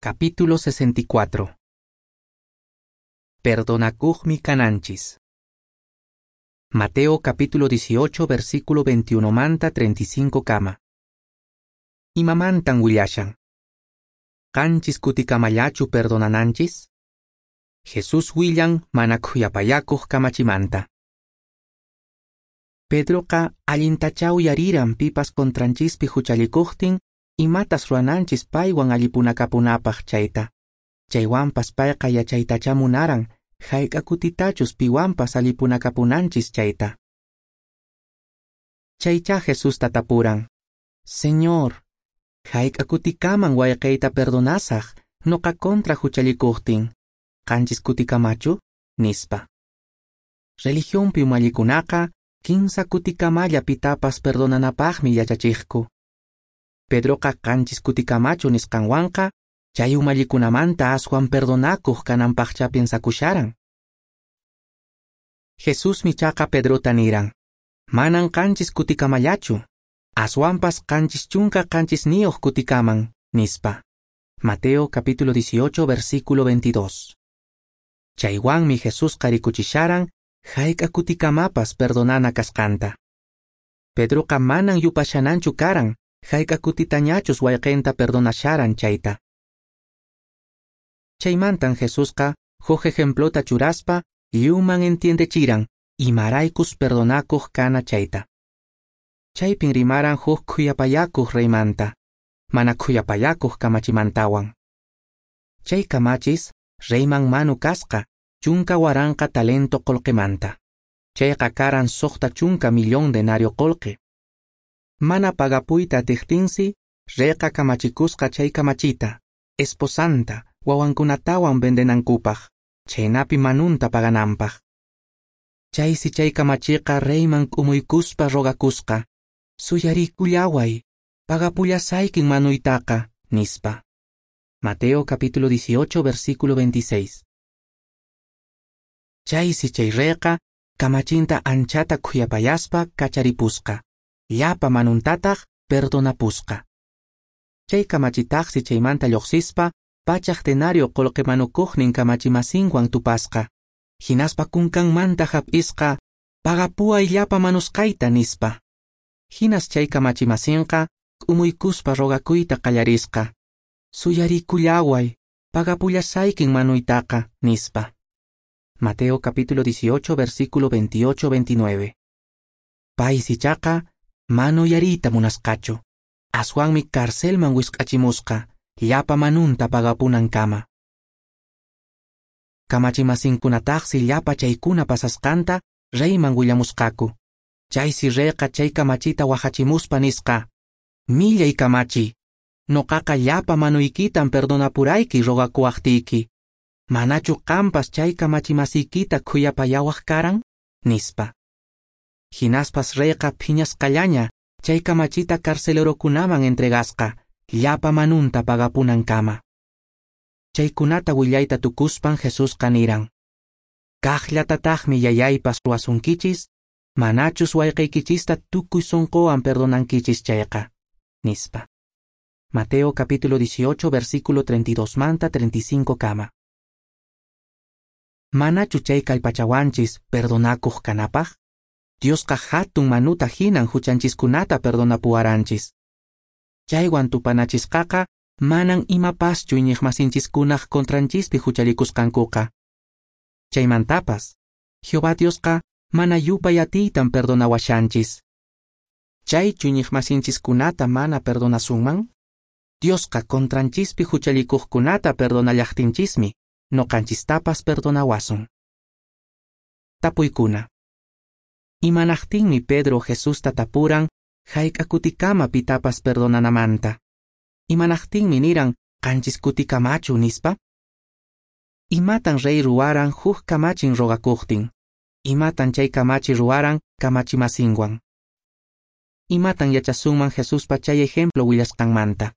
Capítulo 64. Perdonakuqmi kananchis. Mateo capítulo 18 versículo 21 manta 35 kama. Imamantan willashan. Qanchis kutikamallachu perdonananchis? Jesús willan mana khuyapayakuq kamachimanta. Pedroqa allintacha uyariran pipas contranchispi huchallikuqtin imatas ruwananchis paywan allipunakapunapaq chayta. Chaywanpas payqa yachaytacha munaran hayk'a kutitachus piwanpas allipunakapunanchis chayta. Chaycha Jesusta tapuran: Señor, hayk'a kutikaman wayqiyta perdonasaq noqa contra huchallikuqtin, qanchis kutikamachu? Nispa. Religionpi umallikunaqa kinsa kutikamalla pitapas perdonanapaqmi yachachiqku. Pedroqa qanchis kutikamachu nisqanwanqa chay umallikunamanta aswan perdonakuq kananpaqcha piensakusharan. Jesusmi chaqa Pedrota niran: Manan qanchis kutikamallachu, aswanpas 79 kutikaman, nispa. Mateo capítulo 18 versículo 22. Chaywanmi Jesusqa rikuchisharan hayk'a kutikamapas perdonana kasqanta. Pedroqa manan yupashananchu karan hayk'a kutitañachus wayqinta perdonasharan chayta. Chaymantan Jesusqa huk ejemplota churaspa lliwman entiendechiran imaraykus perdonakuq kana chayta. Chaypin rimaran huk khuyapayakuq reymanta, mana khuyapayakuq kamachimantawan. Chay kamachis reyman manu kasqa 10,000 talento qolqemanta. Chayqa karan 60 millón denario qolqe. Mana pagapuyta atiqtinsi, reyqa kamachikusqa chay kamachita, esposanta, wawankunatawan vendenankupaq, chaynapi manunta pagananpaq. Chaysi chay kamachiqa reyman k'umuykuspa rogakusqa: Suyarikullaway, pagapullasaykin manuytaqa, nispa. Mateo capítulo 18 versículo 26. Chaysi chay reyqa kamachinta anchata khuyapayaspa kacharipusqa, llapa manuntataq perdonapusqa. Chay kamachitaqsi chaymanta lluqsispa 100 denario qolqe manukuqnin kamachimasinwan tupasqa, hinaspa kunkanmanta hap'isqa, pagapuway llapa manusqayta, nispa. Hinas chay kamachimasinqa k'umuykuspa rogakuyta qallarisqa: Suyarikullaway, pagapullasaykin manuytaqa, nispa. Mateo capítulo 18 versículo 28-29. Paysi chaqa manuyariyta munasqachu, aswanmi carcelman wisq'achimusqa llapa manunta pagapunankama. Kamachimasinkunataqsi llapa chaykuna pasasqanta reyman willamusqaku. Chaysi reyqa chay kamachita wahachimuspa nisqa: Millay kamachi, noqaqa llapa manuykitan perdonapurayki rogakuwaqtiyki. Manachu qampas chay kamachimasiykita khuyapayawaq karan? Nispa. Hinaspas reyqa phiñasqallaña chay kamachita carcelerokunaman entregasqa llapa manunta pagapunankama. Chaykunata willayta tukuspan Jesusqa niran: Kaqllatataqmi yayaypas ruwasunkichis, manachus wayqiykichista tukuy sunquwan perdonankichis chayqa, nispa. Mateo capítulo 18 versículo 32 manta 35 kama. Manachu chay kallpachawanchis perdonakuq kanapaq? Diosqa hatun manuta hinan huchanchiskunata perdonapuwaranchis. Chaywan tupanachisqaqa manan imapaschu iñiqmasinchiskunaq contranchispi huchallikusqankuqa. Chaymantapas, Jehová Diosqa mana yupay atiytan perdonawashanchis. Chaychu iñiqmasinchiskunata mana perdonasunman? Diosqa contranchispi huchallikuqkunata perdonallaqtinchismi noqanchistapas perdonawasun. Tapuykuna. Imanaqtinmi Pedro Jesusta tapuran hayk'a kutikama pitapas perdonanamanta? Imanaqtinmi niran qanchis kutikamachu, nispa? Imatan rey ruwaran huk kamachin rogakuqtin? Imatan chay kamachi ruwaran kamachimasinwan? Imatan yachasunman Jesuspa chay ejemplo willasqanmanta?